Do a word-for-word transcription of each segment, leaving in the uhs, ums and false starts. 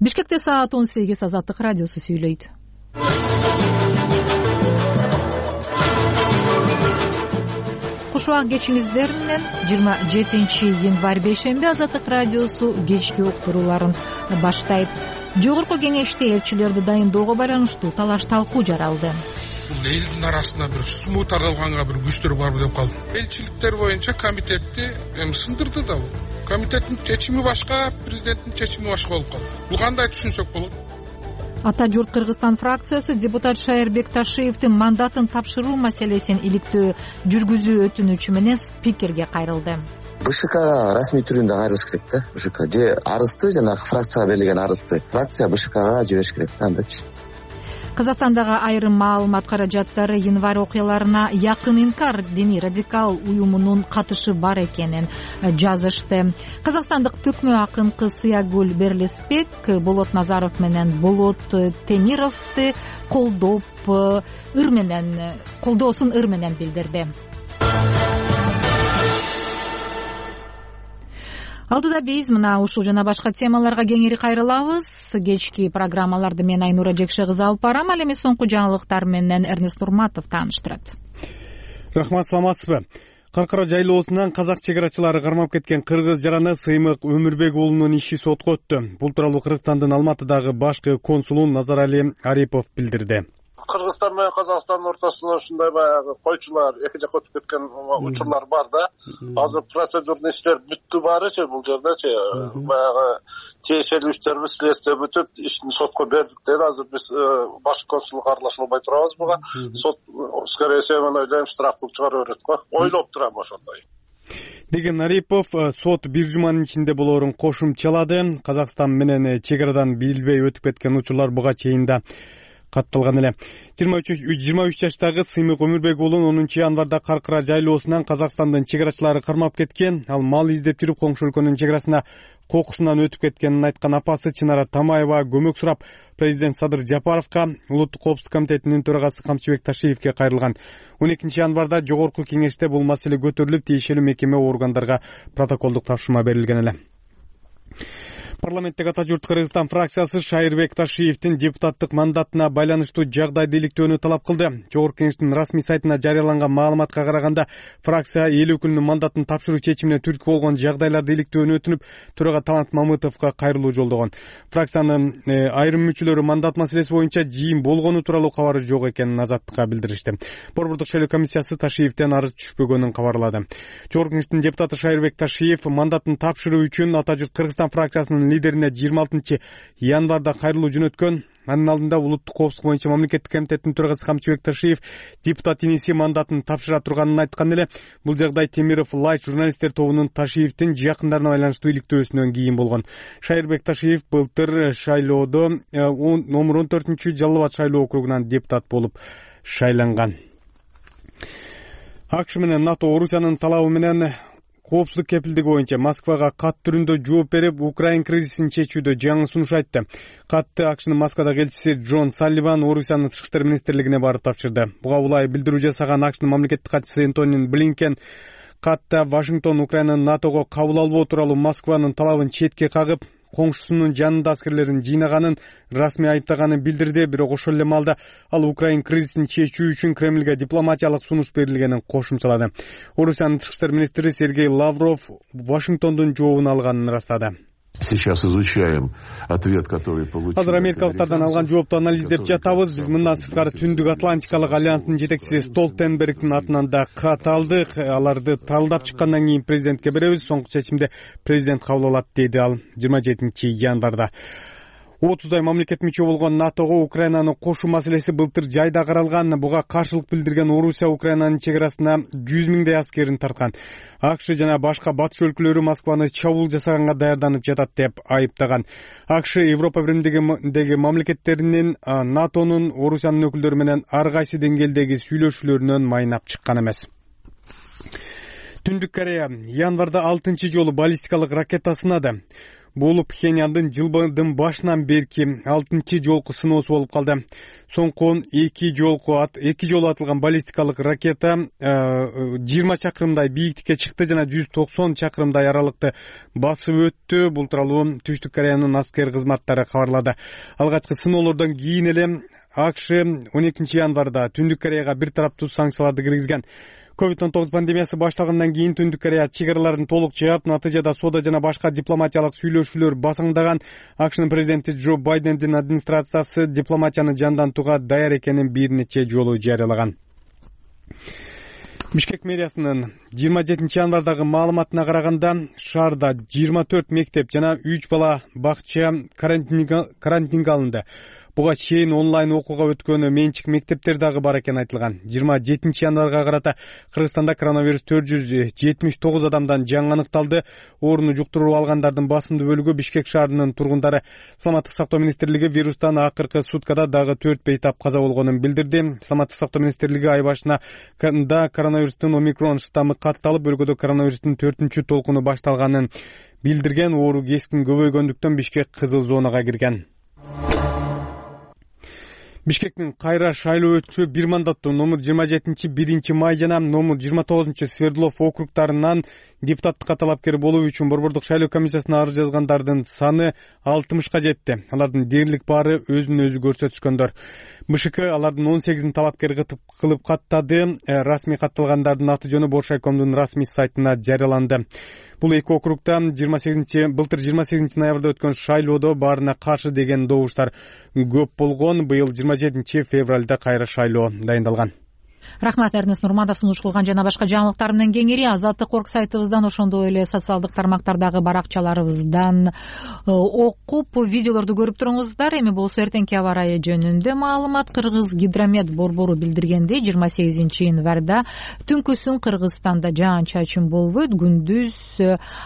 Бишкекте саат он сегиз. Азаттык радиосу сүйлөйт. Куш убак кечиңиздер менен жыйырма жетинчи январь бейшемби Азаттык радиосу кечки уктурууларын баштайт. Жогорку кеңеште элчилерди дайындоого байланыштуу талаш талкуу жаралды. Бул элдин арасында бир смут таралганга бир күчтөр барбы деп калдым. Элчиликтер боюнча комитетти эми сындырды да бул. Комитеттин чечими башка, президенттин чечими башка болуп калды. Бул кандай түшүнсөк болот? Ата журт Кыргызстан фракциясы депутат Шайырбек Ташиевдин мандатын тапшыруу маселесин иликтөө жүргүзүү өтүнүчү менен спикерге кайрылды. БШКга расмий түрүндө кайрылыш керек да. БШК же арызды, жанагы фракцияга берилген арызды фракция БШКга жибериш керек да, андачы. Казакстандагы айрым маалымат каражаттары январь окуяларына якын инкар диний радикал уюмунун катышы бар экенин жазышты. Казакстандык төкмө акынкы Сыягүл Берлеспек Болот Назаров менен Болот Темировду колдоп ыр менен колдоосун ыр менен билдирди. Алдыда биз мына ушул жана башка темаларга кеңири кайрылабыз. Кечки программаларды мен Айнура Жекше кызы алып барам. Ал эми соңку жаңылыктар менен Эрнест Нурматов тааныштырат. Рахмат, саламатсызбы? Каркара жайлоосунан казак чегарачылары кармап кеткен кыргыз жараны Сыймык Өмүрбек уулунун иши сотко өттү. Бул тууралуу Кыргызстандын Алматыдагы башкы консулу Назарали Арипов билдирди. Кыргызстан менен Казакстандын ортосунда ушундай баягы койчулар эки жакка өтүп кеткен учурлар бар да. Азыр процедурный иштер бүттү баарычы бул жердечи. Баягы тиешелүү иштерби следствие бүтүп, ишин сотко бердик деди. Азыр биз башкы консулга аралаша албай турабыз буга. Сот скорее всего мен ойлойм штраф кылып чыгарып берет го. Ойлоп турам ошондой деген Арипов сот бир жуманын ичинде болоорун кошумчалады. Казакстан менен чегарадан билбей өтүп кеткен учурлар буга чейин да катталган эле. жыйырма үч жаштагы Сыймык Өмүрбек уулун онунчу январда Каркара жайлоосунан Казакстандын чегарачылары кармап кеткен. Ал мал издеп жүрүп коңшу өлкөнүн чегарасына кокусунан өтүп кеткенин айткан апасы Чынара Тамаева көмөк сурап президент Садыр Жапаровго, улуттук коопсуздук комитетинин төрагасы Камчыбек Ташиевге кайрылган. он экинчи январда жогорку кеңеште бул маселе көтөрүлүп, тиешелүү мекеме органдарга протоколдук тапшырма берилген эле. Парламенттеги Ата журт Кыргызстан фракциясы Шайырбек Ташиевдин депутаттык мандатына байланыштуу жагдайды иликтөөнү талап кылды. Жогорку кеңештин расмий сайтына жарыяланган маалыматка караганда, фракция эл өкүлүнүн мандатын тапшыруу чечимине түрткү болгон жагдайларды иликтөөнү өтүнүп, төрага Талант Мамытовго кайрылуу жолдогон. Фракциянын э, айрым мүчөлөрү мандат маселеси боюнча жыйын болгону тууралуу кабары жок экенин Азаттыкка билдиришти. Борбордук шайлоо комиссиясы Ташиевден арыз түшпөгөнүн кабарлады. Жогорку кеңештин депутаты Шайырбек Ташиев мандатын тапшыруу үчүн Ата журт Кыргызстан фракциясынын лидерине жыйырма алтынчы январда кайрылуу жөнөткөн. Анын алдында улуттук коопсуздук боюнча мамлекеттик комитеттин төрагасы Камчыбек Ташиев депутат иниси мандатын тапшыра турганын айткан эле. Бул жагдай Темиров Лайт журналисттер тобунун Ташиевдин жакындарына байланыштуу иликтөөсүнөн кийин болгон. Шайырбек Ташиев былтыр шайлоодо номер он төртүнчү Жалал Абад шайлоо округунан депутат болуп шайланган. АКШ менен НАТО Орусиянын талабы менен коопсуздук кепилдиги боюнча Москвага кат түрүндө жооп берип, Украин кризисин чечүүдө жаңы сунуш айтты. Катты АКШнын Москвадагы элчиси Джон Салливан Орусиянын тышкы иштер министрлигине барып тапшырды. Буга улай билдирүү жасаган АКШнын мамлекеттик катчысы Энтони Блинкен катта Вашингтон Украинаны НАТОго кабыл албоо тууралуу Москванын талабын четке кагып, коңшусунун жанында аскерлерин жыйнаганын расмий айыптаганын билдирди. Бирок ошол эле маалда ал Украин кризисин чечүү үчүн Кремльге дипломатиялык сунуш берилгенин кошумчалады. Орусиянын тышкы иштер министри Сергей Лавров Вашингтондун жообун алганын ырастады. Сейчас изучаем ответ, который получил. Азыр америкалыктардан алган жоопту анализдеп жатабыз. Биз мындан сырткары Түндүк Атлантикалык альянстын жетекчиси Столтенбергдин атынан да кат алдык. Аларды талдап чыккандан кийин президентке беребиз. Соңку чечимди президент кабыл алат, деди ал жыйырма жетинчи январда. отуздай мамлекет мүчө болгон НАТОго Украинаны кошуу маселеси былтыр жайда каралган. Буга каршылык билдирген Орусия Украинанын чегарасына жүз миңдей аскерин тарткан. АКШ жана башка батыш өлкөлөрү Москваны чабуул жасаганга даярданып жатат деп айыптаган. АКШ Европа Биримдигиндеги мамлекеттеринин НАТОнун Орусиянын өкүлдөрү менен ар кайсы деңгээлдеги сүйлөшүүлөрүнөн майнап чыккан эмес. Түндүк Корея январда алтынчы жолу баллистикалык ракета сынады. Бул Пхеньяндын жылдын башынан берки алтынчы жолку сыноосу болуп калды. Соңку эки жолку эки жолу атылган баллистикалык ракета жыйырма чакырымдай бийиктикке чыкты жана жүз токсон чакырымдай аралыкты басып өттү. Бул тууралуу Түштүк Кореянын аскер кызматтары кабарлады. Алгачкы сыноолордон кийин эле АКШ он экинчи январда Түндүк Кореяга бир тараптуу санкцияларды киргизген. ковид он тогуз пандемиясы башталгандан кийин Түндүк Корея чек араларын толук жаап, натыйжада соода жана башка дипломатиялык сүйлөшүүлөр басаңдаган. АКШнын президенти Джо Байдендин администрациясы дипломатияны жандантууга даяр экенин бир нече жолу жарыялаган. Бишкек мэриясынын жыйырма жетинчи январдагы маалыматына караганда, шаарда жыйырма төрт мектеп жана үч бала бакча карантинге алынды. Буга чейин онлайн окууга өткөнү менчик мектептер дагы бар экени айтылган. жыйырма жетинчи январга карата Кыргызстанда коронавирус төрт жүз жетимиш тогуз адамдан жаңы аныкталды. Ооруну жуктуруп алгандардын басымдуу бөлүгү Бишкек шаарынын тургундары. Саламаттык сактоо министрлиги вирустан акыркы суткада дагы төрт бейтап каза болгонун билдирди. Саламаттык сактоо министрлиги ай башында коронавирустун омикрон штаммы катталып, өлкөдө коронавирустун төртүнчү толкуну башталганын билдирген. Оору кескин көбөйгөндүктөн Бишкек кызыл зонага кирген. Бишкектин кайра шайлоо өтчү бир мандаттуу номер жыйырма жетинчи биринчи май жана номер жыйырма тогузунчу Свердлов округтарынан депутаттыкка талапкер болуу үчүн Борбордук шайлоо комиссиясына арыз жазгандардын саны алтымышка жетти. Алардын дээрлик баары өзүн өзү көрсөтүшкөндөр. БШК алардын он сегизин талапкер кылып каттады. Расмий катталгандардын аты жөнү Бош райкомдун расмий сайтына жарыяланды. Бул эки округда жыйырма сегизинчи былтыр жыйырма сегизинчи ноябрда өткөн шайлоодо баарына каршы деген добуштар көп болгон. Быйыл жыйырма жетинчи февралда кайра шайлоо дайындалган. Рахмат, Эрнест Нурматов. Сунуш кылган жана башка жаңылыктар менен кеңири Азаттык орг сайтыбыздан, ошондой эле социалдык тармактардагы баракчаларыбыздан окуп, видеолорду көрүп туруңуздар. Эми болсо эртеңки аба ырайы жөнүндө маалымат. Кыргыз гидромет борбору билдиргендей, жыйырма сегизинчи январда түнкүсүн Кыргызстанда жаан-чачын болбойт. Күндүз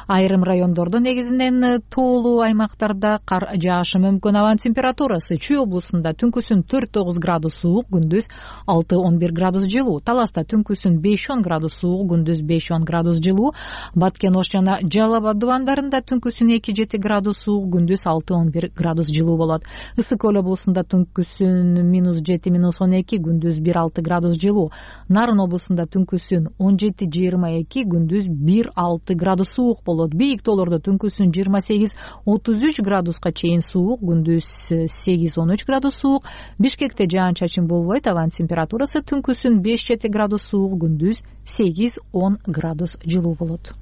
айрым райондордо, негизинен тоолуу аймактарда кар жаашы мүмкүн. Абанын температурасы Чүй облусунда түнкүсүн төрт тогуз градус суук, күндүз алты он бир градус жылуу. Таласта түнкүсүн беш он градус суук, күндүз беш он градус жылуу. Баткен Ош жана Жалал Абад дубандарында түнкүсүн эки жети градус суук, күндүз алты он бир градус жылуу болот. Ысык Көл облусунда түнкүсүн минус жети минус он эки, күндүз бир алты градус жылуу. Нарын облусунда түнкүсүн он жети жыйырма эки, күндүз бир алты градус суук болот. Бийик тоолордо түнкүсүн жыйырма сегиз отуз үч градуска чейин суук, күндүз сегиз он үч градус суук. Бишкекте жаан-чачын болбойт. Абанын температурасы түнкүсүн беш жети градус суук, күндүз сегиз он градус жылуу болот.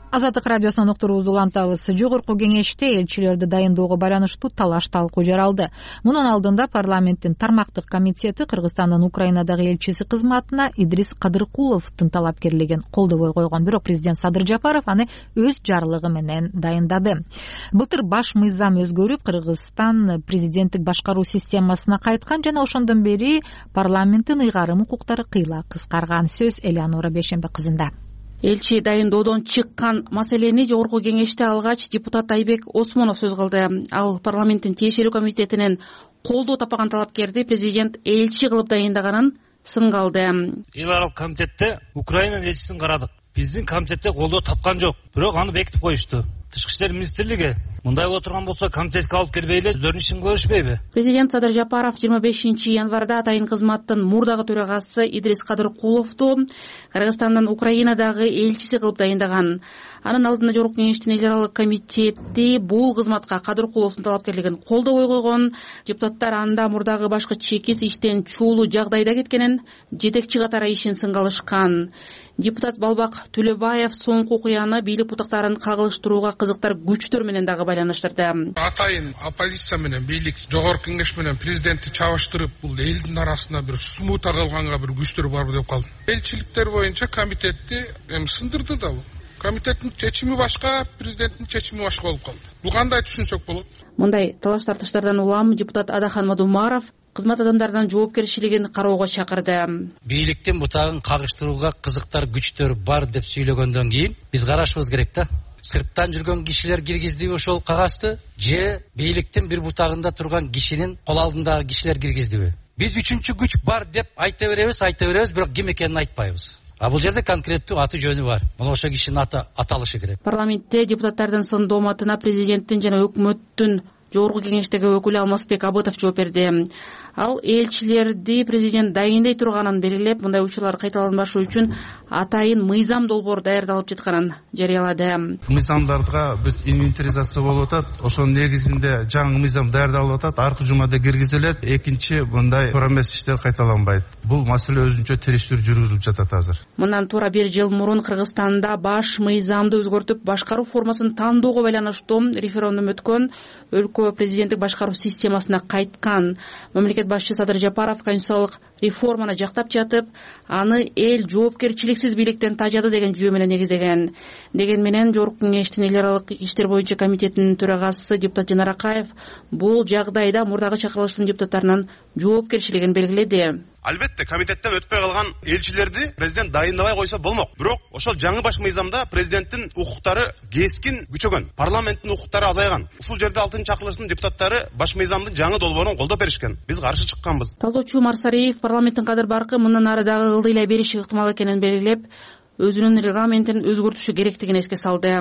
Азаттык радиосунан уктуруубузду улантабыз. Жогорку кеңеште элчилерди дайындоого байланыштуу талаш талкуу жаралды. Мунун алдында парламенттин тармактык комитети Кыргызстандын Украинадагы элчиси кызматына Идрис Кадыркуловдун талапкерлигин колдобой койгон. Бирок президент Садыр Жапаров аны өз жарлыгы менен дайындады. Былтыр баш мыйзам өзгөрүп, Кыргызстан президенттик башкаруу системасына кайткан жана ошондон бери парламенттин ыйгарым укуктары кыйла кыскарган. Сөз Элеонора Бейшембе кызында. Элчи дайындоодон чыккан маселени жогорку кеңеште алгач депутат Айбек Осмонов сөз кылды. Ал парламенттин тиешелүү комитетинен колдоо таппаган талапкерди президент элчи кылып дайындаганын сынга алды. Эл аралык комитетте Украинанын элчисин карадык. Биздин комитетте колдоо тапкан жок. Бирок аны бекитип коюшту. Тышкы иштер министрлиги мындай боло турган болсо комитетке алып келбей эле өздөрүнүн ишин кыла беришпейби? Президент Садыр Жапаров жыйырма бешинчи январда атайын кызматтын мурдагы төрагасы Идрис Кадыркуловду Кыргызстандын Украинадагы элчиси кылып дайындаган. Анын алдында жогорку кеңештин эл аралык комитети бул кызматка Кадыркуловдун талапкерлигин колдобой койгон. Депутаттар анда мурдагы башкы чекис иштен чуулуу жагдайда кеткенин, жетекчи катары ишин сынга алышкан. Депутат Балбак Төлөбаев соңку окуяны бийлик бутактарын кагылыштырууга кызыктар күчтөр менен дагы байланыштырды. Атайын оппозиция менен бийлик жогорку кеңеш менен президентти чабыштырып, бул элдин арасына бир смут таралганга бир күчтөр барбы деп калдым. Элчиликтер боюнча комитетти эми сындырды да бул. Комитеттин чечими башка, президенттин чечими башка болуп калды. Бул кандай түшүнсөк болот? Мындай талаш тартыштардан улам депутат Адахан Мадумаров кызмат адамдарынын жоопкерчилигин кароого чакырды. Бийликтин бутагын кагыштырууга кызыктар күчтөр бар деп сүйлөгөндөн кийин биз карашыбыз керек да. сырттан жүргөн кишилер киргиздиби ошол кагазды, же бийликтин бир бутагында турган кишинин кол алдындагы кишилер киргиздиби? Биз үчүнчү күч бар деп айта беребиз, айта беребиз, бирок ким экенин айтпайбыз. А бул жерде конкреттүү аты жөнү бар. Мына ошол кишинин аты аталышы керек. Парламентте депутаттардын сын дооматына президенттин жана өкмөттүн жогорку кеңештеги өкүлү Алмазбек Абытов жооп берди. Ал элчилерди президент дайындай турганын белгилеп, мындай учурлар кайталанбашы үчүн атайын мыйзам долбоор даярдалып жатканын жарыялады. Мыйзамдарга бүт инвентаризация болуп атат. Ошонун негизинде жаңы мыйзам даярдалып атат. Аркы жумада киргизилет. Экинчи мындай туура эмес иштер кайталанбайт. Бул маселе өзүнчө териштирүү жүргүзүлүп жатат азыр. Мындан туура бир жыл мурун Кыргызстанда баш мыйзамды өзгөртүп, башкаруу формасын тандоого байланыштуу референдум өткөн. Өлкө президенттик башкаруу системасына кайткан. Мамлекет башчы Садыр Жапаров конституциялык реформаны жактап жатып, аны эл жоопкерчиликсиз бийликтен тажады деген жүйө менен негиздеген. Деген менен Жогорку кеңештин эл аралык иштер боюнча комитетинин төрагасы депутат Жанар Акаев бул жагдайда мурдагы чакырылыштын депутаттарынын жоопкерчилигин белгиледи. Албетте комитеттен өтпөй калган элчилерди президент дайындабай койсо болмок. Бирок ошол жаңы баш мыйзамда президенттин укуктары кескин күчөгөн, парламенттин укуктары азайган. Ушул жерде алтынчы чакырылыштын депутаттары баш мыйзамдын жаңы долбоорун колдоп беришкен. Биз каршы чыкканбыз. Талдоочу Марсариев парламенттин кадыр баркы мындан ары дагы ылдыйлай бериши ыктымал экенин белгилеп, өзүнүн регламентин өзгөртүшү керектигин эске салды.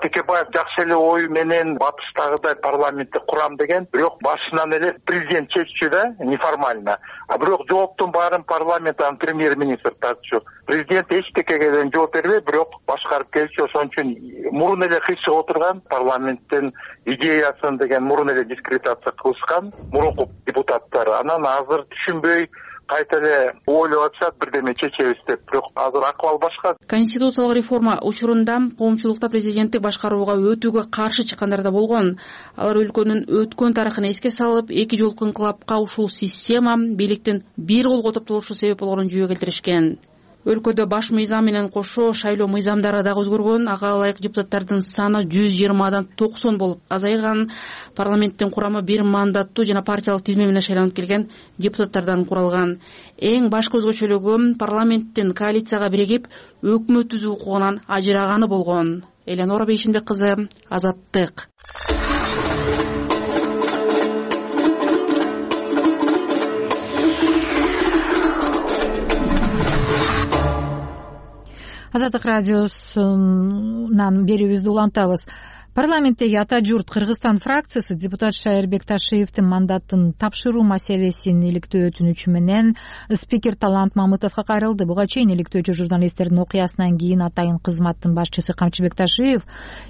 Текебаев жакшы эле ою менен батыштагыдай парламентти курам деген, бирок башынан эле президент чеччү да, неформально. А бирок жооптун баарын парламенттен премьер-министр тартчу. Президент эчтекеге жооп бербей, бирок башкарып келчү. Ошон үчүн мурун эле кыйшык отурган парламенттин идеясын деген мурун эле дискредитация кылышкан мурунку депутаттар. Анан азыр түшүнбөй кайта эле ойлоп атышат, бирдеме чечебиз деп. Бирок азыр акыбал башка. Конституциялык реформа учурунда коомчулукта президенттик башкарууга өтүүгө каршы чыккандар да болгон. Алар өлкөнүн өткөн тарыхын эске салып, эки жолку инкылапка ушул система бийликтин бир колго топтолушу себеп болгонун жүйө келтиришкен. Өлкөдө баш мыйзам менен кошо шайлоо мыйзамдары дагы өзгөргөн. Ага ылайык депутаттардын саны жүз жыйырмадан токсон болуп азайган. Парламенттин курамы бир мандаттуу жана партиялык тизме менен шайланып келген депутаттардан куралган. Эң башкы өзгөчөлүгү парламенттин коалицияга биригип өкмөт түзүү укугунан ажыраганы болгон. Эленора Бейшинбек кызы, Азаттык. Азаттык радиосунан берүүбүздү улантабыз. Парламенттеги Ата журт Кыргызстан фракциясы депутат Шайырбек Ташиевдин мандатын тапшыруу маселесин иликтөө өтүнүчү менен спикер Талант Мамытовго кайрылды. Буга чейин иликтөөчү журналисттердин окуясынан кийин атайын кызматтын башчысы Камчыбек Ташиев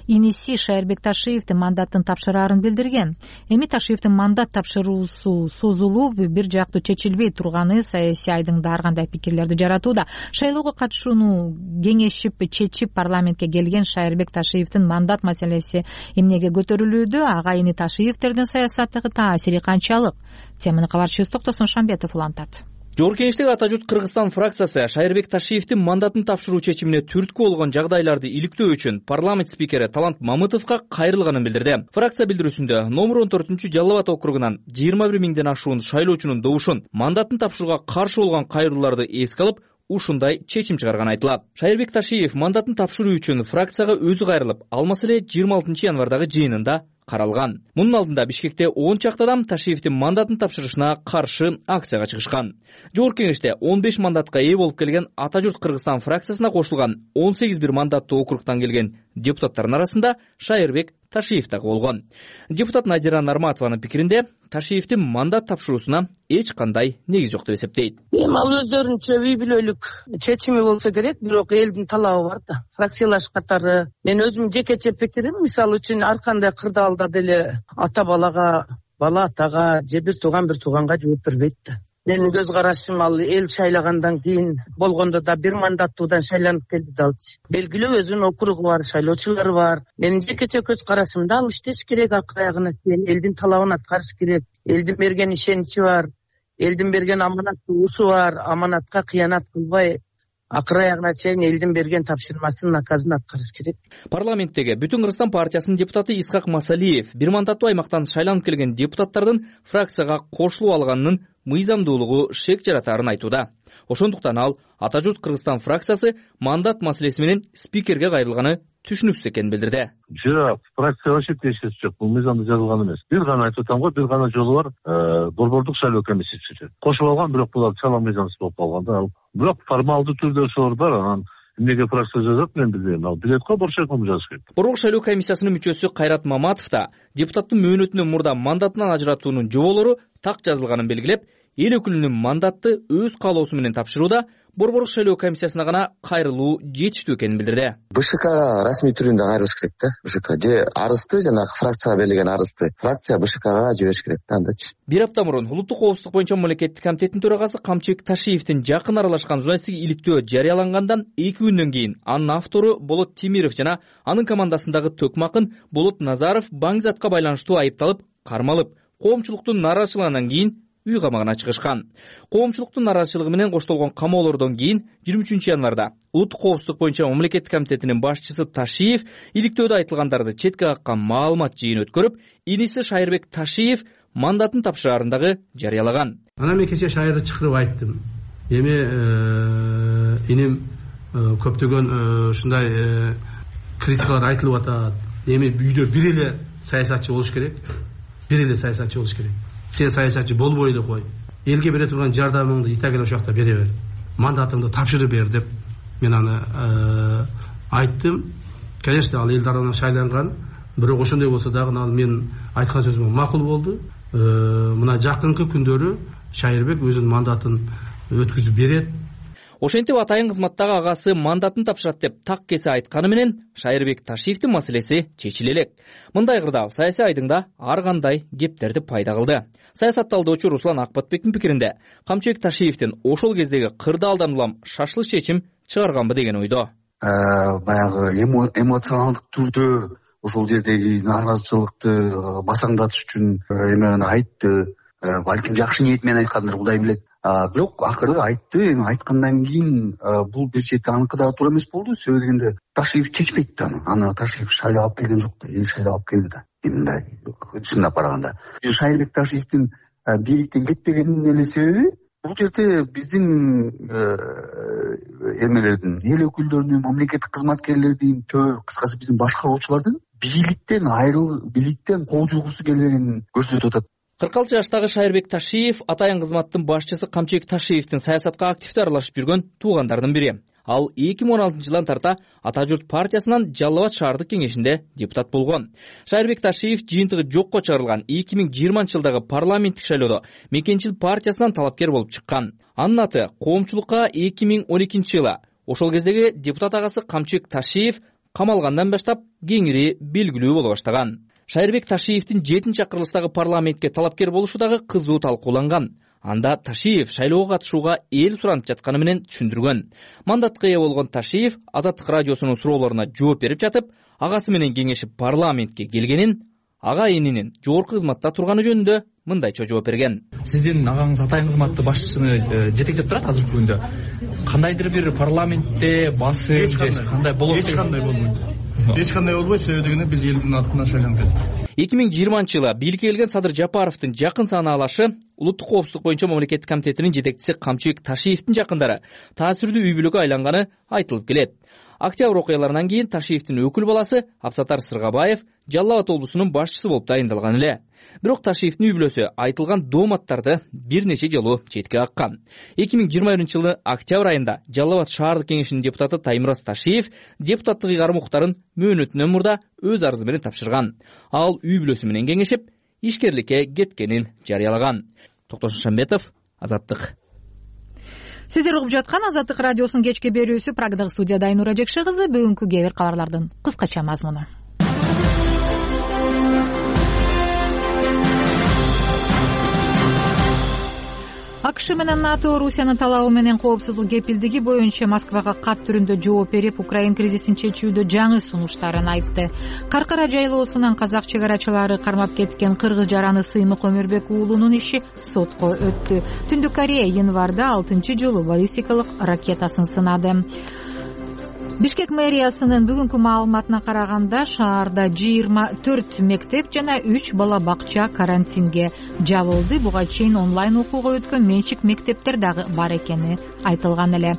иниси Шайырбек Ташиевдин мандатын тапшыраарын билдирген. Эми Ташиевдин мандат тапшыруусу созулуп, бир жактуу чечилбей турганы саясий айдыңда ар кандай пикирлерди жаратууда. Шайлоого катышууну кеңешип чечип парламентке келген Шайырбек Ташиевдин мандат маселеси эмнеге көтөрүлүүдө, агайыны Ташиевтердин саясаттагы таасири канчалык? Теманы кабарчыбыз Токтосун Шамбетов улантат. Жогорку кеңештеги Ата журт Кыргызстан фракциясы Шайырбек Ташиевдин мандатын тапшыруу чечимине түрткү болгон жагдайларды иликтөө үчүн парламент спикери Талант Мамытовго кайрылганын билдирди. Фракция билдирүүсүндө номер он төртүнчү Жалал Абад округунан жыйырма бир миңден ашуун шайлоочунун добушун, мандатын тапшырууга каршы болгон кайрылууларды эске алып, ушундай чечим чыгарганы айтылат. Шайырбек Ташиев мандатын тапшыруу үчүн фракцияга өзү кайрылып, ал маселе жыйырма алтынчы январдагы жыйынында каралган. Мунун алдында Бишкекте он чакты адам Ташиевдин мандатын тапшырышына каршы акцияга чыгышкан. Жогорку кеңеште он беш мандатка ээ болуп келген Ата журт Кыргызстан фракциясына кошулган он сегиз бир мандаттуу округтан келген депутаттардын арасында Шайырбек Ташиев дагы болгон. Депутат Надира Нарматованын пикиринде Ташиевдин мандат тапшыруусуна эч кандай негиз жок деп эсептейт. Эми ал өздөрүнчө үй бүлөлүк чечими болсо керек, бирок элдин талабы бар да. Фракциялаш катары мен өзүм жекече пикирим, мисалы үчүн ар кандай кырдаалда деле ата балага, бала атага же бир тууган бир тууганга жооп бербейт да. Менин көз карашым ал эл шайлагандан кийин болгондо да бир мандаттуудан шайланып келди да алчы. Белгилүү өзүнүн округу бар, шайлоочулары бар. Менин жекече көз карашымда ал иштеш керек, акыр аягына чейин элдин талабын аткарыш керек. Элдин берген ишеничи бар, элдин берген аманаттуу ушу бар, аманатка кыянат кылбай акыр аягына чейин элдин берген тапшырмасын, наказын аткарыш керек. Парламенттеги Бүтүн Кыргызстан партиясынын депутаты Исхак Масалиев бир мандаттуу аймактан шайланып келген депутаттардын фракцияга кошулуп алганынын мыйзамдуулугу шек жаратаарын айтууда. Ошондуктан ал Ата журт Кыргызстан фракциясы мандат маселеси менен спикерге кайрылганы түшүнүксүз экенин билдирди. Жок, фракция вообще тиешеси жок. Бул мыйзамда жазылган эмес. Бир гана айтып атам го, бир гана жолу бар. Борбордук шайлоо комиссиясы кошуп алган, бирок булар чала мыйзамсыз болуп калган да. Бирок формалдуу түрдө ошолор бар. Анан эмнеге фракция жазат, мен билбейм. Ал билет го, борчойком жазыш керек. Борбордук шайлоо комиссиясынын мүчөсү Кайрат Маматов да депутаттын мөөнөтүнөн мурда мандатынан ажыратуунун жоболору так жазылганын белгилеп, эл өкүлүнүн мандатты өз каалоосу менен тапшырууда Борбордук шайлоо комиссиясына гана кайрылуу жетиштүү экенин билдирди. БШКга расмий түрүндө кайрылыш керек да. БШК же арызды, жанагы фракцияга берилген арызды фракция БШКга жибериш керек да, андачы. Бир апта мурун улуттук коопсуздук боюнча мамлекеттик комитеттин төрагасы Камчыбек Ташиевдин жакын аралашкан журналисттик иликтөө жарыялангандан эки күндөн кийин анын автору Болот Темиров жана анын командасындагы Төкмакын Болот Назаров баңгизатка байланыштуу айыпталып, кармалып, коомчулуктун нааразычылыгынан кийин үй камагына чыгышкан. Коомчулуктун нааразычылыгы менен коштолгон камоолордон кийин жыйырма үчүнчү январда улуттук коопсуздук боюнча мамлекеттик комитетинин башчысы Ташиев иликтөөдө айtылгандарды четке каккан маалымат жыйын өткөрүп, иниси Шайырбек Ташиев мандатын тапшыраарындагы жарыялаган. Анан мен кечээ Шайырды чакырып айттым. Эми иним көптөгөн ушундай критикалар айтылып атат. Эми үйдө бир эле саясатчы болуш керек. Бир эле саясатчы болуш керек. Сен саясатчы болбой эле кой. Элге бере турган жардамыңды итагеле ошол жакта бере бер. Мандатыңды тапшырып бер деп мен аны айттым. Конечно, ал эл тарабынан шайланган, бирок ошондой болсо дагы ал мен айткан сөзүмө макул болду. Мына жакынкы күндөрү Шайырбек өзүнүн мандатын өткүзүп берет. Ошентип атайын кызматтагы агасы мандатын тапшырат деп так кесе айтканы менен Шайырбек Ташиевдин маселеси чечиле элек. Мындай кырдаал саясий айдыңда ар кандай кептерди пайда кылды. Саясат талдоочу Руслан Акбатбектин пикиринде Камчыбек Ташиевдин ошол кездеги кырдаалдан улам шашылыш чечим чыгарганбы деген ойдо. Баягы эмоционалдык түрдө ошол жердеги нааразычылыкты басаңдатыш үчүн эме айтты. Балким жакшы ниет менен айткандыр, Кудай билет. Бирок акыры айтты. Эми айткандан кийин бул бир чети аныкы дагы туура эмес болду. Себеби дегенде Ташиев чечпейт да аны. Аны Ташиев шайлап алып келген жок да, эл шайлап алып келди да. Мындай чындап караганда Шайырбек Ташиевдин бийликтен кетпегенинин эле себеби бул жерде биздин эмелердин, эл өкүлдөрүнүн, мамлекеттик кызматкерлердин, кыскасы биздин башкаруучулардын бийликтен айрыл, бийликтен кол жугусу келгенин көрсөтүп атат. кырк алты жаштагы Шайырбек Ташиев атайын кызматтын башчысы Камчыбек Ташиевдин саясатка активдүү аралашып жүргөн туугандардын бири. Ал эки миң он алтынчы жылдан тарта Ата журт партиясынан Жалал Абад шаардык кеңешинде депутат болгон. Шайырбек Ташиев жыйынтыгы жокко чыгарылган эки миң жыйырманчы жылдагы парламенттик шайлоодо Мекенчил партиясынан талапкер болуп чыккан. Анын аты коомчулукка эки миң он экинчи жылы ошол кездеги депутат агасы Камчыбек Ташиев камалгандан баштап кеңири белгилүү боло баштаган. Шайырбек Ташиевдин жетинчи акырылыштагы парламентке талапкер болушу дагы кызуу талкууланган. Анда Ташиев шайлоого катышууга эл суранып жатканы менен түшүндүргөн. Мандатка ээ болгон Ташиев Азаттык радиосунун суроолоруна жооп берип жатып, агасы менен кеңешип парламентке келгенин, ага энинин жогорку кызматта турганы жөнүндө мындайча жооп берген. Сиздин агаңыз атайын кызматты башчысыны жетектеп турат азыркы күндө. Кандайдыр бир парламентте басым же кандай болот? Эч кандай болбойт. Эч кандай болбойт, себеби дегенде биз элдин атынан шайланган. эки миң жыйырманчы жылы бийликке келген Садыр Жапаровдун жакын саанаалашы улуттук коопсуздук боюнча мамлекеттик комитетинин жетекчиси Камчыбек Ташиевдин жакындары таасирдүү үй бүлөгө айланганы айтылып келет. Октябрь окуяларынан кийин Ташиевдин өкүл баласы Абсатар Сыргабаев Жалал Абад облусунун башчысы болуп дайындалган эле. Бирок Ташиевдин үй бүлөсү айтылган дооматтарды бир нече жолу четке каккан. эки миң жыйырма биринчи жылы октябрь айында Жалал Абад шаардык кеңешинин депутаты Таймураз Ташиев депутаттык ыйгарым укуктарын мөөнөтүнөн мурда өз арызы менен тапшырган. Ал үй бүлөсү менен кеңешип, ишкерликке кеткенин жарыялаган. Токтосун Шамбетов, Азаттык. Сиздер угуп жаткан Азаттык радиосунун кечки берүүсү. Прагдагы студияда Айнура Жекше кызы. Бүгүнкү кээ бир кабарлардын кыскача мазмуну. АКШ менен НАТО Русиянын талабы менен коопсуздук кепилдиги боюнча Москвага кат түрүндө жооп берип, Украин кризисин чечүүдө жаңы сунуштарын айтты. Каркара жайлоосунан казак чегарачылары кармап кеткен кыргыз жараны Сыймык Өмүрбек уулунун иши сотко өттү. Түндүк Корея январда алтынчы жолу баллистикалык ракетасын сынады. Бишкек мэриясынын бүгүнкү маалыматына караганда шаарда жыйырма төрт мектеп жана үч бала бакча карантинге жабылды. Буга чейин онлайн окууга өткөн менчик мектептер дагы бар экени айтылган эле.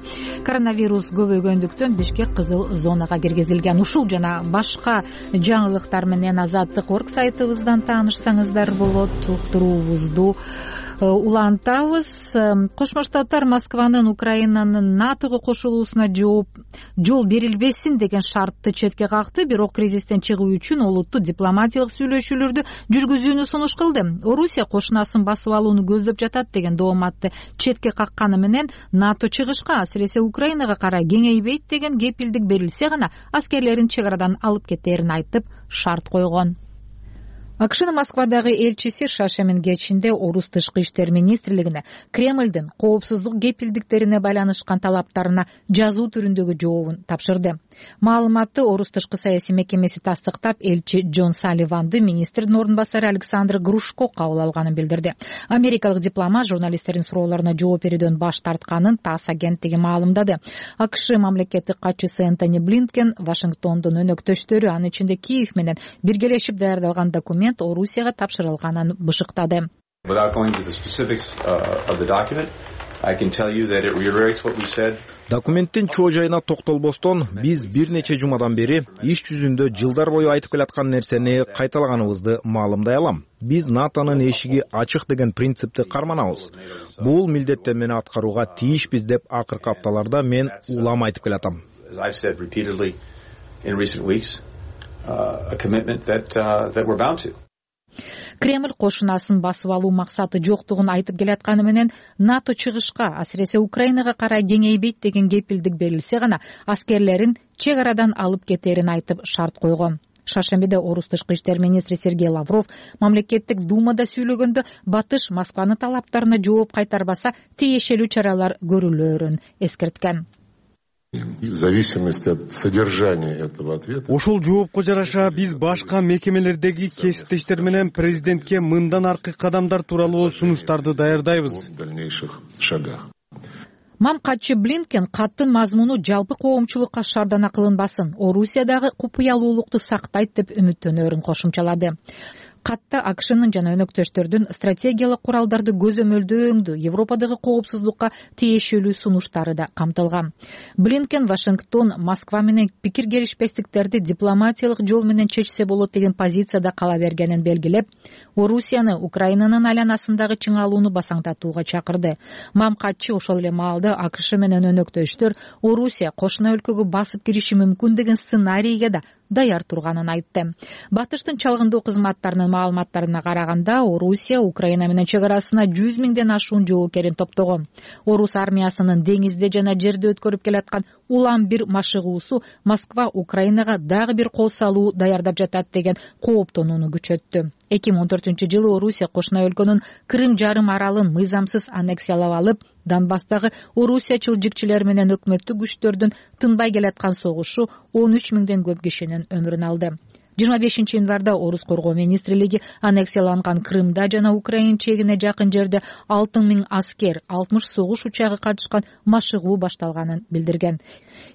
Коронавирус көбөйгөндүктөн Бишкек кызыл зонага киргизилген. Ушул жана башка жаңылыктар менен Азаттык орг сайтыбыздан таанышсаңыздар болот. Уктуруубузду улантабыз. Кошмо Штаттар Москванын Украинанын НАТОго кошулуусуна жооп жол берилбесин деген шартты четке какты, бирок кризистен чыгуу үчүн олуттуу дипломатиялык сүйлөшүүлөрдү жүргүзүүнү сунуш кылды. Орусия кошунасын басып алууну көздөп жатат деген дооматты четке какканы менен НАТО чыгышка, асиресе Украинага карай кеңейбейт деген кепилдик берилсе гана аскерлерин чек арадан алып кетерин айтып шарт койгон. АКШнын Москвадагы элчиси Шашемин кечинде Орус тышкы иштер министрлигине Кремлдин коопсуздук кепилдиктерине байланышкан талаптарына жазуу түрүндөгү жообун тапшырды. Маалыматты Орус тышкы саясий мекемеси тастыктап, элчи Джон Салливанды министрдин ордун басары Александр Грушко кабыл алганын билдирди. Америкалык дипломат журналисттердин суроолоруна жооп берүүдөн баш тартканын ТАСС агенттиги маалымдады. АКШ мамлекеттик катчысы Энтони Блинкен Вашингтондун өнөктөштөрү, анын ичинде Киев менен биргелешип даярдалган документ Орусияга тапшырылганын бышыктады. Документтин чоо жайына токтолбостон, биз бир нече жумадан бери иш жүзүндө жылдар бою айтып келаткан нерсени кайталаганыбызды маалымдай алам. Биз НАТОнун эшиги ачык деген принципти карманабыз. Бул милдеттен мени аткарууга тийишпиз деп акыркы апталарда мен улам айтып келатам. Кремль кошунасын басып алуу максаты жоктугун айтып келатканы менен НАТО чыгышка, асиресе Украинага карай кеңейбейт деген кепилдик берилсе гана аскерлерин чек арадан алып кетерин айтып шарт койгон. Шаршембиде Орус тышкы иштер министри Сергей Лавров мамлекеттик думада сүйлөгөндө Батыш Москванын талаптарына жооп кайтарбаса тиешелүү чаралар көрүлөрүн эскерткен. В зависимости от содержания этого ответа. Ошол жоопко жараша биз башка мекемелердеги кесиптештер менен президентке мындан аркы кадамдар тууралуу сунуштарды даярдайбыз. В дальнейших шагах. Мамкатчы Блинкен каттын мазмуну жалпы коомчулукка шаардана кылынбасын, Орусиядагы купуялуулукту сактайт деп үмүттөнөрүн кошумчалады. Катта АКШнын жана өнөктөштөрдүн стратегиялык куралдарды көзөмөлдөөңдү, Европадагы коопсуздукка тиешелүү сунуштары да камтылган. Блинкен Вашингтон Москва менен пикир келишпестиктерди дипломатиялык жол менен чечсе болот деген позицияда кала бергенин белгилеп, Орусияны Украинанын айланасындагы чыңалууну басаңдатууга чакырды. Мамкатчы ошол эле маалда АКШ менен өнөктөштөр Орусия кошуна өлкөгө басып кириши мүмкүн деген сценарийге да даяр турганын айтты. Батыштын чалгындоо кызматтарынын маалыматтарына караганда, Орусия Украина менен чек арасына жүз миңден ашуун жоокерин топтогон. Орус армиясынын деңизде жана жерде өткөрүп келаткан улам бир машыгуусу Москва Украинага дагы бир кол салуу даярдап жатат деген кооптонууну күчөттү. эки миң он төртүнчү жылы Орусия кошуна өлкөнүн Крым жарым аралын мыйзамсыз аннексиялап алып, Донбасстагы орусиячыл жикчилер менен өкмөттүк күчтөрдүн тынбай келаткан согушу он үч миңден көп кишинин өмүрүн алды. жыйырма бешинчи январда Орус коргоо министрлиги аннексияланган Крымда жана Украин чегине жакын жерде алты миң аскер, алтымыш согуш учагы катышкан машыгуу башталганын билдирген.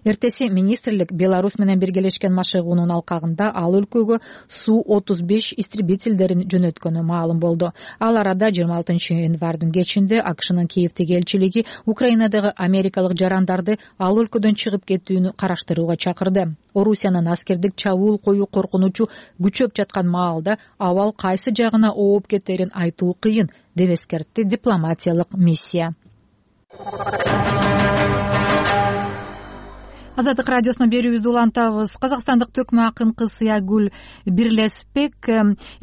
Эртеси министрлик Беларусь менен биргелешкен машыгуунун алкагында ал өлкөгө Су отуз беш истребительдерин жөнөткөнү маалым болду. Ал арада жыйырма алтынчы январдын кечинде АКШнын Киевдеги элчилиги Украинадагы америкалык жарандарды ал өлкөдөн чыгып кетүүнү караштырууга чакырды. Орусиянын аскердик чабуул коюу коркунучу күчөп жаткан маалда абал кайсы жагына ооп кетерин айтуу кыйын деп эскертти дипломатиялык миссия. Азаттык радиосунун берүүбүздү улантабыз. Казакстандык төкмө акын кыз Сыягүл Бирлеспек,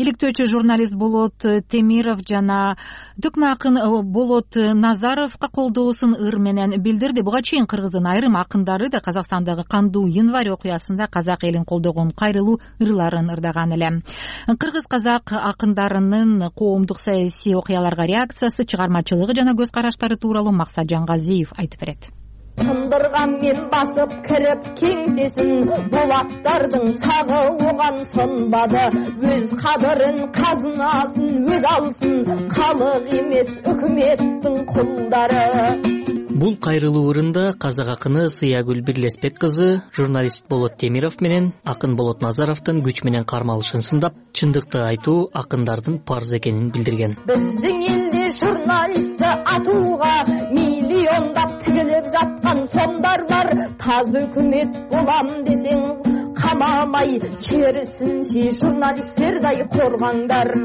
иликтөөчү журналист Болот Темиров жана төкмө акын Болот Назаровго колдоосун ыр менен билдирди. Буга чейин кыргыздын айрым акындары да Казакстандагы кандуу январь окуясында казак элин колдогон кайрылуу ырларын ырдаган эле. Кыргыз казак акындарынын коомдук саясий окуяларга реакциясы, чыгармачылыгы жана көз караштары тууралуу Максат Жангазиев айтып берет. Сындырган мен басып кирип кеңсесин, булаттардын сагы оған сынбады. Өз кадырын, казынасын өз алсын, калык эмес өкмөттүн кулдары. Бул кайрылуу ырында казак акыны Сыягүл Бирлеспек кызы журналист Болот Темиров менен акын Болот Назаровдун күч менен кармалышын сындап, чындыкты айтуу акындардын парз экенин билдирген. Биздин элде журналистти атууга миллиондап тигилип жаткан сомдар бар. Таз өкмөт болам десең камамай, керисинче журналисттердей коргаңдар.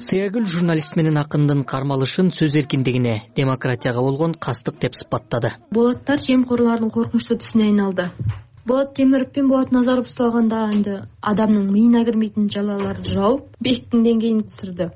Сыягүл журналист менен акындын кармалышын сөз эркиндигине, демократияга болгон кастык деп сыпаттады. Болоттор жемкорлордун коркунучтуу түсүнө айналды. Болот Темиров пен Болот Назаров ушталганда энди адамдын мыйына кирмейтин жалаларды жауп, бектин деңгээлин түшүрдү.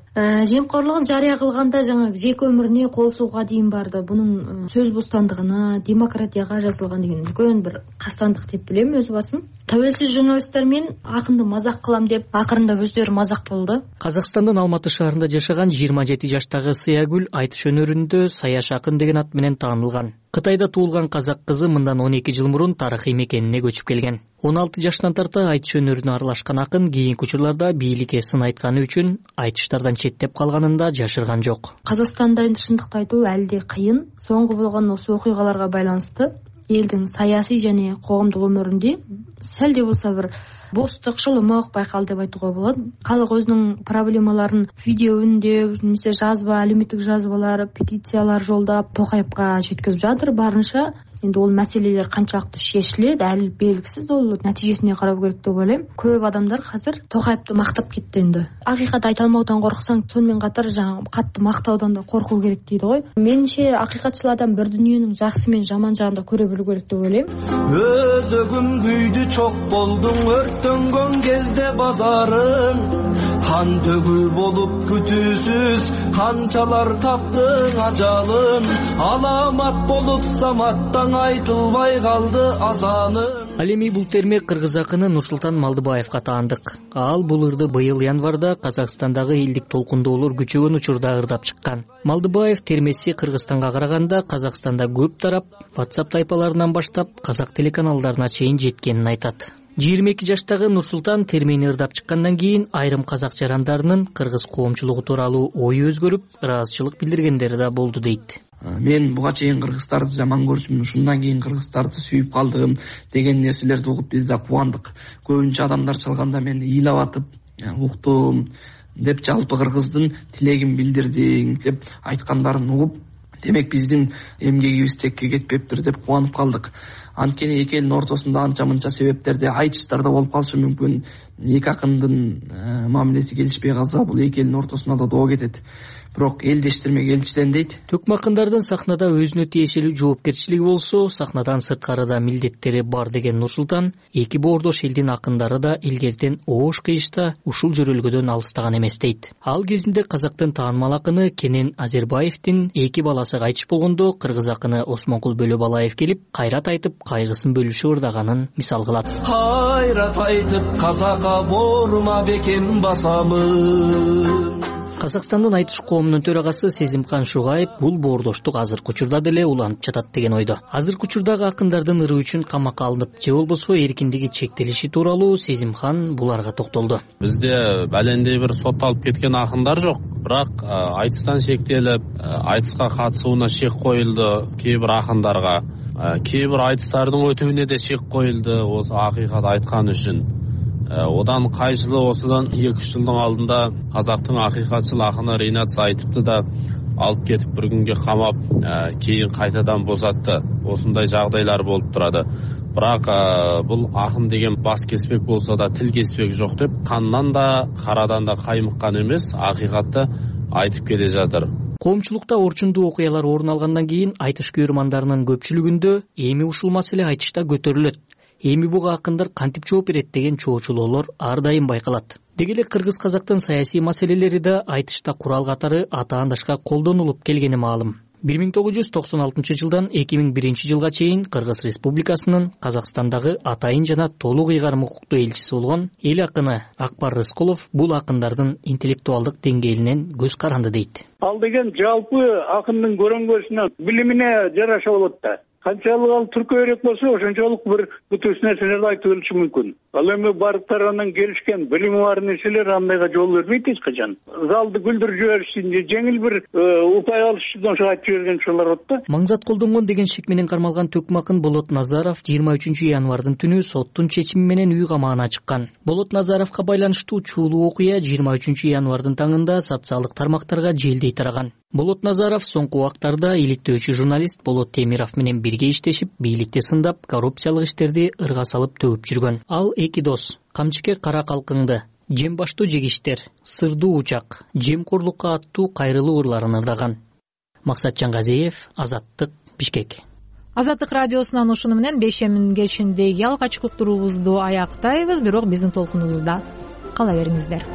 Жемкорлугун жарыя кылганда жаңы жеке өмүрүнө кол сууга дейин барды. Бунун сөз бостандыгына, демократияга жазылган деген үлкөн бир кастандык деп билем өз басым. Тәуелсиз журналисттер мен акынды мазак кылам деп акырында өздөрү мазак болду. Казакстандын Алматы шаарында жашаган жыйырма жети жаштагы Сыягүл айтыш өнөрүндө Саяш акын деген ат менен таанылган. Кытайда туулган казак кызы мындан он эки жыл мурун тарыхый мекенине көчүп келген. он алты жаштан тарта айтыш өнөрүнө аралашкан акын кийинки учурларда бийликке сын айтканы үчүн айтыштардан четтеп калганын да жашырган жок. Казакстанда энди чындыкты айтуу әлі де кыйын. Соңку болгон осы окуйгаларга байланыштуу элдин саясий жана коомдук өмүрүндө сәл де болсо бир бостук, шылымык байкалды деп айтууга болот. Калк өзүнүн проблемаларын видео үндөө, немесе жазба, алюмиттик жазбалар, петициялар жолдоп Токаевга жеткизип жатыр барынча. Эndi ол маселелер канчалыкты шешилет, әлі белгисиз, ол натижесине карап керек деп ойлойм. Көп адамдар азыр Токаевди мактап кетти энди. Акыйкат айта алмаудан корксаң, сонун катар жаңы катты мактаудан да коркуу керек дейди го. Менимче акыйкатчыл адам бир дүйнөнүн жакшы менен жаман жагын да көрө билүү керек деп ойлойм. Өзөгүм күйдү чок болдуң, өрттөнгөн кезде базарың, хан төгү болуп күтүүсүз канчалар таптың ажалын, аламат болуп саматтан айтылбай калды азанын. Ал эми бул терме кыргыз акыны Нурсултан Малдыбаевга таандык. Ал бул ырды быйыл январда Казакстандагы элдик толкундоолор күчөгөн учурда ырдап чыккан. Малдыбаев термеси Кыргызстанга караганда Казакстанда көп тарап, WhatsApp тайпаларынан баштап казак телеканалдарына чейин жеткенин айтат. жыйырма эки жаштагы Нурсултан термени ырдап чыккандан кийин айрым казак жарандарынын кыргыз коомчулугу тууралуу ою өзгөрүп, ыраазычылык билдиргендери да болду дейт. Мен буга чейин кыргыздарды жаман көрчүмүн, ушундан кийин кыргыздарды сүйүп калдым деген нерселерди угуп биз да кубандык. Көбүнчө адамдар чалганда мен ыйлап атып уктум деп, жалпы кыргыздын тилегин билдирдиң деп айткандарын угуп, демек биздин эмгегибиз текке кетпептир деп кубанып калдык. Анткени эки элдин ортосунда анча мынча себептерде айтыштарда болуп калышы мүмкүн. Эки акындын мамилеси келишпей калса, бул эки элдин ортосунда да доо кетет. Бирок элдештерме келчиден дейт. Төкмө акындардын сахнада өзүнө тиешелүү жоопкерчилиги болсо, сахнадан сырткарыда милдеттери бар деген Нурсултан, эки боордош элдин акындары да илгертен оош кыйышта ушул жөрөлгөдөн алыстаган эмес дейт. Ал кезинде казактын таанымал акыны Кенен Азербаевдин эки баласы кайтыш болгондо кыргыз акыны Осмонкул Бөлөбалаев келип, кайрат айтып, кайгысын бөлүшүп ырдаганын мисал кылат. Кайрат айтып, казакка борма бекем басамын. Казакстандын айтыш коомунун төрагасы Сезимкан Шугаев бул боордоштук азыркы учурда деле уланып жатат деген ойдо. Азыркы учурдагы акындардын ыры үчүн камакка алынып, же болбосо эркиндиги чектелиши тууралуу Сезимкан буларга токтолду. Бизде балендей бир сотталып кеткен акындар жок, бирок айтыстан шектелип, айтыска катышууна шек коюлду кээ бир акындарга. Кээ бир айтыстардын өтүүнө да шек коюлду осы акыйкат айткан үчүн. Одан кай жылы осудан эки үч жылдын алдында казактын акыйкатчыл акыны Ринат Сайтипти да алып кетип бир күнгө камап, кийин кайтадан босатты. Осундай жагдайлар болуп турады. Бирок бул акын деген бас кеспек болсо да тил кеспек жок деп, кандан да карадан да каймыккан эмес, акыйкатты айтып келе жатыр. Коомчулукта орчундуу окуялар орун алгандан кийин айтыш көрөрмандарынын көпчүлүгүндө эми ушул маселе айтышта көтөрүлөт. Эми буга акындар кантип жооп берет деген чоочулоолор ар дайым байкалат. Деги эле кыргыз казактын саясий маселелери да айтышта курал катары атаандашка колдонулуп келгени маалым. бир миң тогуз жүз токсон алтынчы жылдан эки миң биринчи жылга чейин Кыргыз Республикасынын Казакстандагы атайын жана толук ыйгарым укуктуу элчиси болгон эл акыны Акбар Рыскулов бул акындардын интеллектуалдык деңгээлинен көз каранды дейт. Ал деген жалпы акындын көрөңгөсүнө, билимине жараша болот да. канчалык ал түркө керек болсо ошончолук бир бүтүс нерселерди айтып бериши мүмкүн. Ал эми бардык тарабынан келишкен билими бар нерселер андайга жол бербейт эч качан. Залды күлдүрүп жиберишsin же жеңил бир упай алыш үчүн ошо айтып жиберген ушулар болот да. Маңзат колдонгон деген шек менен кармалган Төкмө акын Болот Назаров жыйырма үчүнчү январдын түнү соттун чечими менен үй камагына чыккан. Болот Назаровго байланыштуу чуулуу окуя жыйырма үчүнчү январдын таңында социалдык тармактарга желдей тараган. Болот Назаров соңку убактарда иликтөөчү журналист Болот Темиров менен бирге иштешип, бийликти сындап, коррупциялык иштерди ырга салып төгүп жүргөн. Ал эки дос камчыке кара калкыңды, жем баштуу жегиштер, сырдуу учак, жемкорлукка аттуу кайрылуу ырларын ырдаган. Максат Жангазиев, Азаттык, Бишкек. Азаттык радиосунан ушуну менен бешемин кечиндеги алгачкы уктуруубузду аяктайбыз, бирок биздин толкунубузда кала бериңиздер.